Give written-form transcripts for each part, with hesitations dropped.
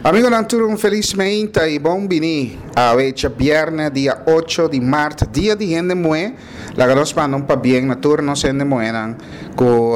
Amigonan tur un felis meinta y bon bini. Awe djabierne dia ocho di mart, dia di hende muhe. Laga nos manda un pabien na tur nos hende muhenan cu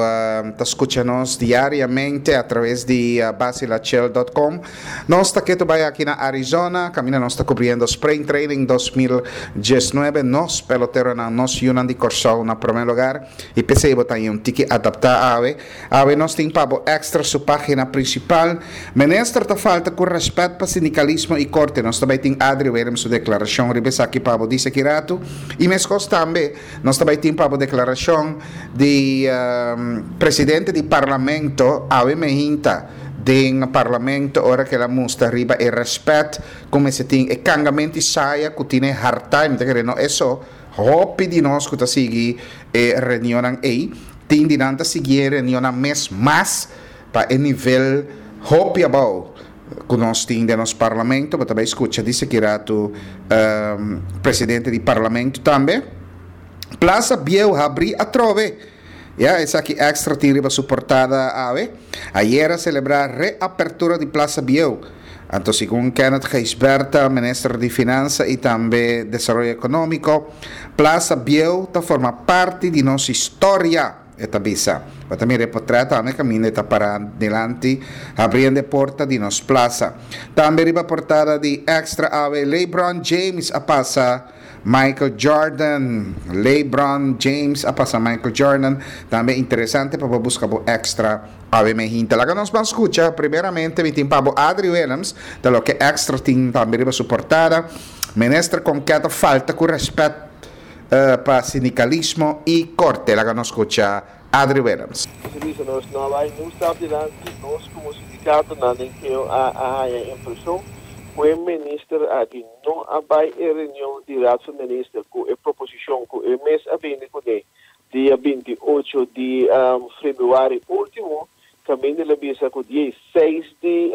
ta scucha nos diariamente a traves di basilachel dot com. Nos ta ketu bay aki na Arizona, caminda nos ta cubriendo Spring Training 2019. Nos peloteronan, nos yunan di Corsou na prome lugar y p'esey bo ta haña un tiki adapta awe. Awe nos tin pa bo Extra su pagina principal. Minister ta falta cu respet pa sindicalismo y corte. Nos ta bay tin Adri Willems su declaracion riba esaki pa bo dice aki rato. Y mescos tambe nos ta bay tin pa bo declaracion di presidente di Parlamento awe mehinta den Parlamento ora cu el a mustra riba e respet cu mester tin e cangamento y saya cu tin e harta y mi ta kere no eso. Hopi di nos ku ta sigui e reunionnan ei, tin di nan ta sigui e reunionnan mes mas pa e nivel hopi abou ku nos tin den nos parlamento. Bo ta bai skucha di seki ratu presidente di parlamento tambe. Plaza Bieu habrí atrobe! Ya, esaki Extra tin riba su portada awe. Ayer a selebrá reapertura di Plaza Bieu. Anto segun Kenneth Gijsbertha, minister di Finansa i tambe Desaroyo Ekonómiko, Plaza Bieu ta forma parti di nos historia, e ta bisa. Bo ta mira e potrèt tambe kaminda e ta pará dilanti habriendo e porta di nos plaza. Tambe riba portada di Extra awe, LeBron James a pasa Michael Jordan, LeBron James a pasa Michael Jordan. Tambe interesante pa bo busca bo extra awe mehinta. Laga nos ban scucha. Primeramente mi tin pa bo Adri Willems, ta loke extra tin tambe riba su portada. Minister Konket a falta cu respet pa sindicalismo y corte. Laga nos scucha Adri Willems. Nos a bisa nos no a bai niun stap dilanti, nos como sindicatonan den keo a haya impresion cu e minister aki no a bai e reunion di Raad van Minister cu e proposicion cu e mes a bini cune dia 28 di februari ultimo, caminda el a bisa cu dia 6 di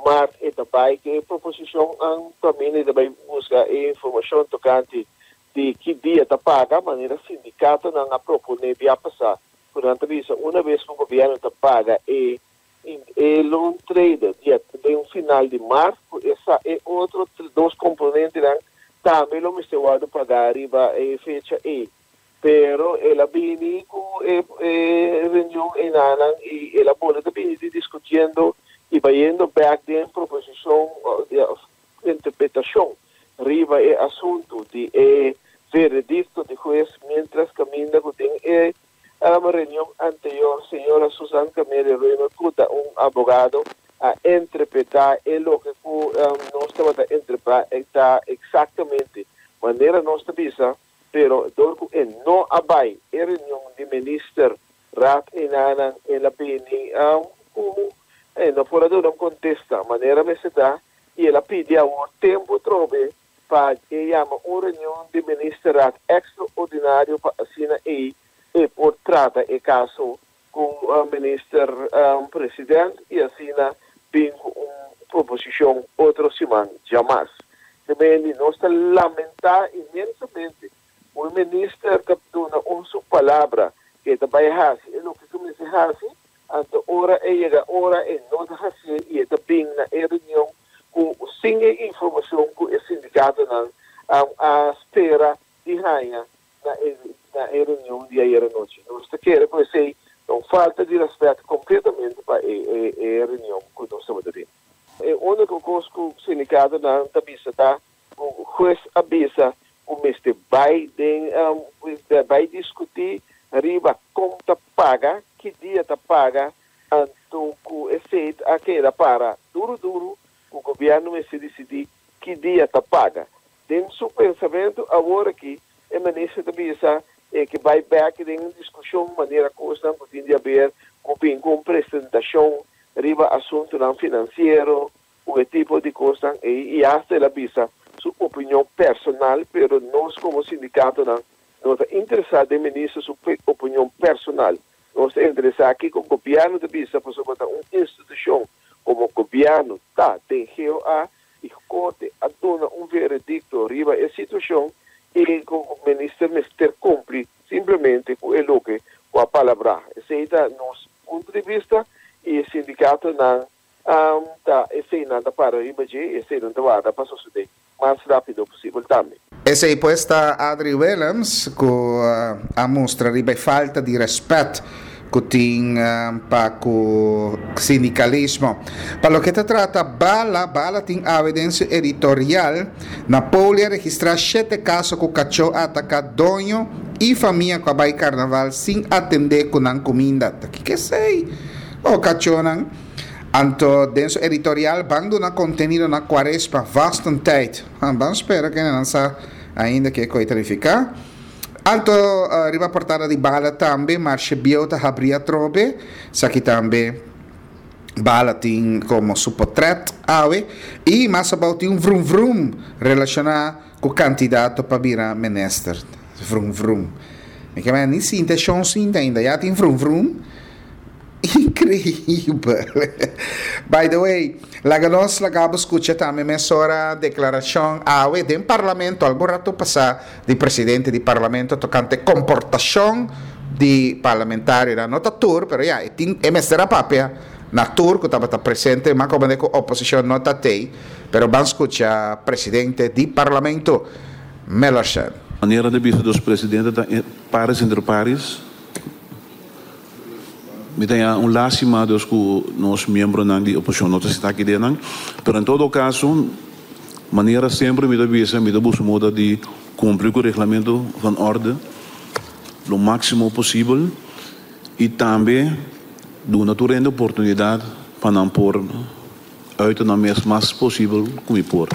maart e ta bai cu e proposicion caminda e ta bai busca e informacion tocante Di ki dia ta paga, manera sindikatonan a proponé bia pasá, ku nan ta bisa una bes ku gobièrnu ta paga e e loontrede dia den final di mart, ku esa e otro dos komponentenan tambe lo mester wòrdu pagá riba e fecha ei. Pero el a bini ku e e reunion einanan i el a bolbe ta bini di diskutiendo i bayendo bèk den proposishon òf interpretashon riba e asuntu di e veredikto di hues miéntras kaminda ku den e reunion anterior señora Susan Camelia Römer ku ta un abogado a entrepretá e loke ku nos tabata entrepretá eksaktamente manera nos ta bisa pero dor ku e no a bai e reunion di minister Raad einanan el a bini ku e no por a duna un kontesta manera mester ta. i el a pidi awor tempu atrobe pa e yama un reunion di ministerraad extraordinario pa asina ei e por trata e caso cu minister president i asina bin cu un proposicion otro siman djamas. Gemeente, nos ta lamenta inmensamente cu e minister ta duna un su palabra cu e ta bay haci e loke cu mester haci, Anto ora e yega ora e no ta hacié y e ta bin na e reunion cu sin e informacion cu e sindicatonan a spera di haña na e na e reunion di ayer anochi. Nos ta kere cu esey ta un falta di respet completamente pa e e e reunion cu nos tabata tin. E unico cos cu sindicatonan ta bisa ta cu hues a bisa cu mester bay den bay discuti riba con ta paga, ki dia ta paga, anto cu esey a keda para duro duro cu gobierno mester dicidi ki dia ta paga. Den su pensamento awor aki e minister ta bisa e ke bay bek den un discusion manera cosnan cu tin di haber cu bin cu un presentacion riba asuntonan financiero, ku e tipo di kosnan ei i asta el a bisa su opinion personal, pero nos komo sindikatonan no ta interesá den minister su opinion personal. Nos ta interesá kiko gobièrnu ta bisa pasobra ta un institushon komo gobièrnu ta den GOA i korte a duna un veredikto riba e situashon i ku minister mester kumpli simplemente ku e loke ku a palabrá. Esei ta nos punto di bista i e sindikatonan. Ta esei nan ta para riba dje i esei nan ta warda pa sosodé mas rápido posibel tambe. Esei pues ta Adri Willems ku a mustra riba e falta di rèspèt ku tin pa ku sindikalismo. Pa loke ta trata Bala, Bala tin awe den su editorial, Napoli a registrá shete kaso ku kachó a ataká doño i famia ku a bai karnaval sin atendé ku nan kuminda. Ta kiko esei? Oh kachónan. Anto den su editorial ban duna kontenido na Kuaresma Vastentijd. Ban spera kende nan sa ainda ke koe ta nifiká. Anto riba portada di Bala tambe Marshe Bieu ta habri atrobe. Esaki tambe Bala tin komo su potret awe. I mas abou tin un vrum vrum relashoná ku kandidato pa bira minister. Vrum vrum. Mi ke mira ni sinta e shon sinta ainda. Ya tin vrum vrum. Increibel. By the way, laga nos laga bo scucha tambe mesora declaracion awe den Parlamento algun rato pasa di presidente di Parlamento tocante comportacion di parlamentarionan. No ta tur, pero ya, e tin, e mester a papia na tur cu tabata presente, ma como de cu oposicion no ta tey, pero ban scucha presidente di Parlamento, Millerson. Manera di bisa dos presidente ta pares inter pares. Mi ta haña un lástima dus ku nos miembronan di oposishon no ta sinta aki den nan. Pero en todo kaso, manera semper mi ta bisa, mi ta buska moda di kumpli ku reglamento van orde lo máksimo posibel i tambe duna tur hende oportunidat pa nan por uita nan mes mas posibel ku mi por.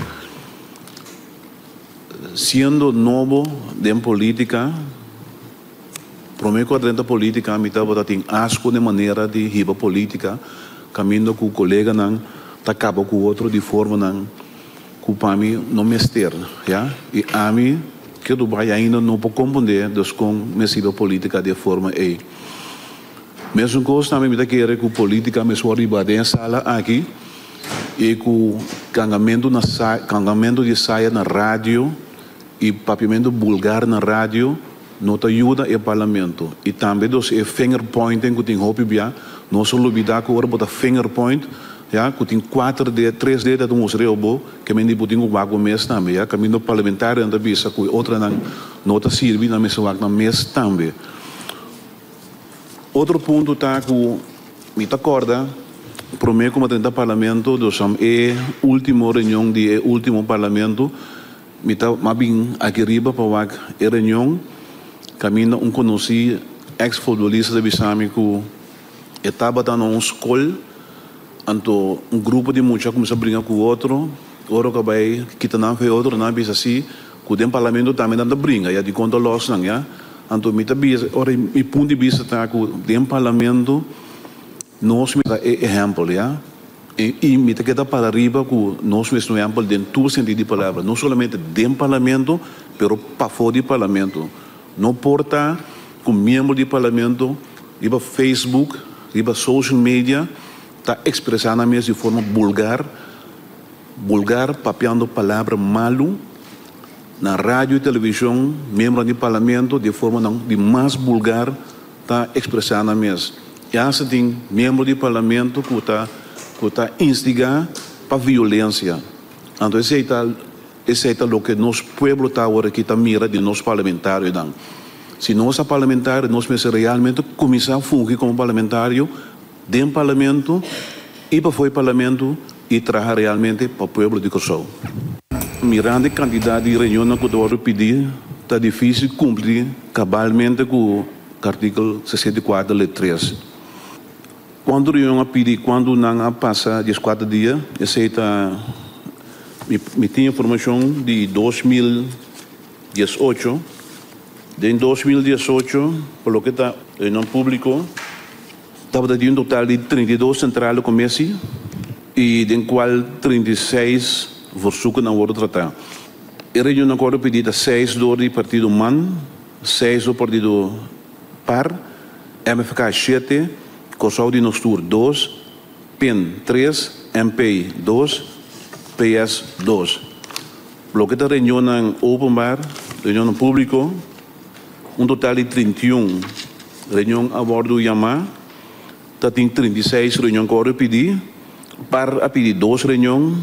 Siendo nobo den polítika. Prome ku a drenta politika mi tabata tin asko den manera di hiba politika kaminda ku koleganan ta kaba ku otro di formanan ku pa mi no mester ya i ami ke Dubai ainda no por komprende dus kon mes hiba politika di e forma ei. Mesun kos tambe mi ta kere ku politika mes wòrdu hiba den e sala aki i ku kangamentu na kangamentu di saya na radio i papiamentu bulgar na radio No ta yuda e parlamento. Y tambe dos e finger pointing cu tin hopi bia, nos a lubida cu ora bo ta finger point, ya, cu tin cuater ded, tres ded ta mustra riba bo, ke men di bo tin cu wak bo mes tambe, ya. Caminda parlamentarionan ta bisa cu e otronan no ta sirbi, nan mester wak nan mes tambe. Otro punto ta cu mi ta corda prome cu mi a drenta parlamento, dos e ultimo reunion di e ultimo parlamento, Mi ta a bin aki riba pa wak e reunion kaminda un konosí eks futbolista ta bisa mi ku e tabata na un skol anto un grupo di mucha a kuminsá bringa ku otro ora ku a bai kita nan for e otro nan a bisa si ku den parlamento tambe nan ta bringa ya dikon ta lòs nan ya anto mi ta bisa ora mi punto di bista ta ku den parlamento nos mester ta e ehèmpel ya. I mi ta keda para riba ku nos mes no ehèmpel den tur sentido di palabra, no solamente den parlamento, pero pafó di parlamento. No por ta ku miembro di parlamento riba Facebook, riba social media ta ekspresá nan mes di forma bulgar, bulgar papiando palabra malu na radio i televishon, miembronan di parlamento di e formanan di mas bulgar. Ta expresa nan mes. Y hasta tin miembro di parlamento cu ta cu ta instiga pa violencia. Anto esey ta esey ta loke nos pueblo ta awor aki ta mira di nos parlamentarionan. Si nos ta parlamentario nos mester realmente cuminsa fungi como parlamentario den parlamento y pafo e parlamento y traha realmente pa pueblo di Corsou. Mirando e cantidad di reunionnan cu ta wordo pidi ta dificil cumpli cabalmente cu artikel 64 lid 3. Cuanto reunion a pidi y cuanto nan a pasa diescuater dia esey ta mi tin informacion di 2018. Den 2018 pa loke ta reunion publico. Tabata di un total di 32 sentrale commissie y den cual 36 verzoeken a wordo trata. E reunionnan cu a wordo pidi ta seis door di partido man, seis door partido par, MFK shete, Corsou di Nos Tur dos, pin tres, MP dos, PS dos. Loke ta reunionnan openbaar, reunionnan publico. Un total di 31 reunion a wòrdu yamá. Ta tin 36 reunion ku a wòrdu pidí. Par a pidi dos reunion,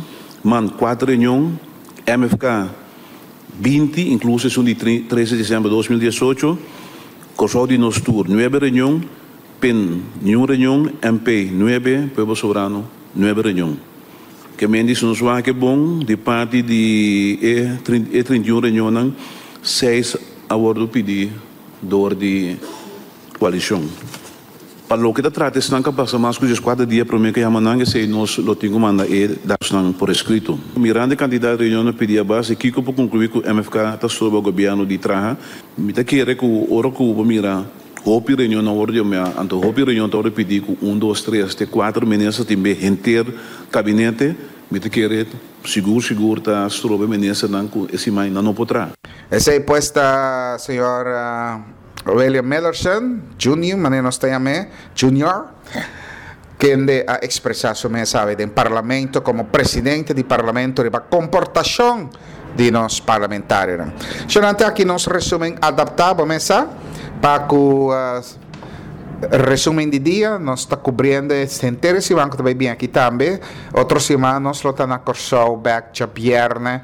man kuater reunion, MFK 20, inkluso esun di 13 di desèmber 2018, Kòrsou di Nos Tur nuebe reunion, Pen niun reunion, MP nuebe, Pueblo Soberano nuebe reunion. Ke men di si nos wak e bon di parti di e e 31 reunionnan, seis a wòrdu pidi dor di koalishon. Pa loke ta trata esnan ku a pasa mas ku dieskuater dia promé ku yama nan, esei nos lo tin ku manda e datosnan por eskrito. Mirando e kantidat di reunionnan pidi a base kiko por konkluí ku MFK ta stroba gobièrnu di traha? Mi ta kere ku ora ku bo mira hopi reunionnan wòrdu yamá, anto hopi reunion ta wòrdu pidi ku un, dos, tres te kuater minister tin be henter kabinete, mi ta kere sigur sigur ta stroba e ministernan ku e siman nan no por traha. Esei pues ta señor. William Millerson, Junior, manera nos ta yam'é, Junior, kende a ekspresá su mes awe den Parlamento komo presidente di Parlamento riba komportashon di nos parlamentarionan. Shonante aki nos resumen adaptá, bo mes sa, pa ku resumen di dia, nos ta kubriendo e henter e siman ku ta bai bin aki tambe. Otro siman nos lo ta na Kòrsou bèk djabièrnè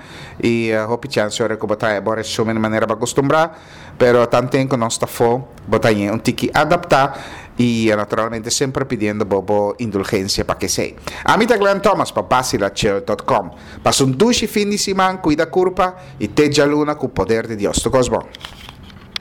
i hopi chèns ora ku bo ta haña bo resumen manera bo a kustumbrá. Pero tanten ku nos ta fo, bo ta ñe un tiki adaptá i naturalmente semper pidiendo bo bo indulgensia pa kesei. Ami ta Glenn Thomas pa Basilachel dot com. Pasa un dushi fin di siman, kuida kurpa i te djaluna ku poder di Dios. Tur kos bon.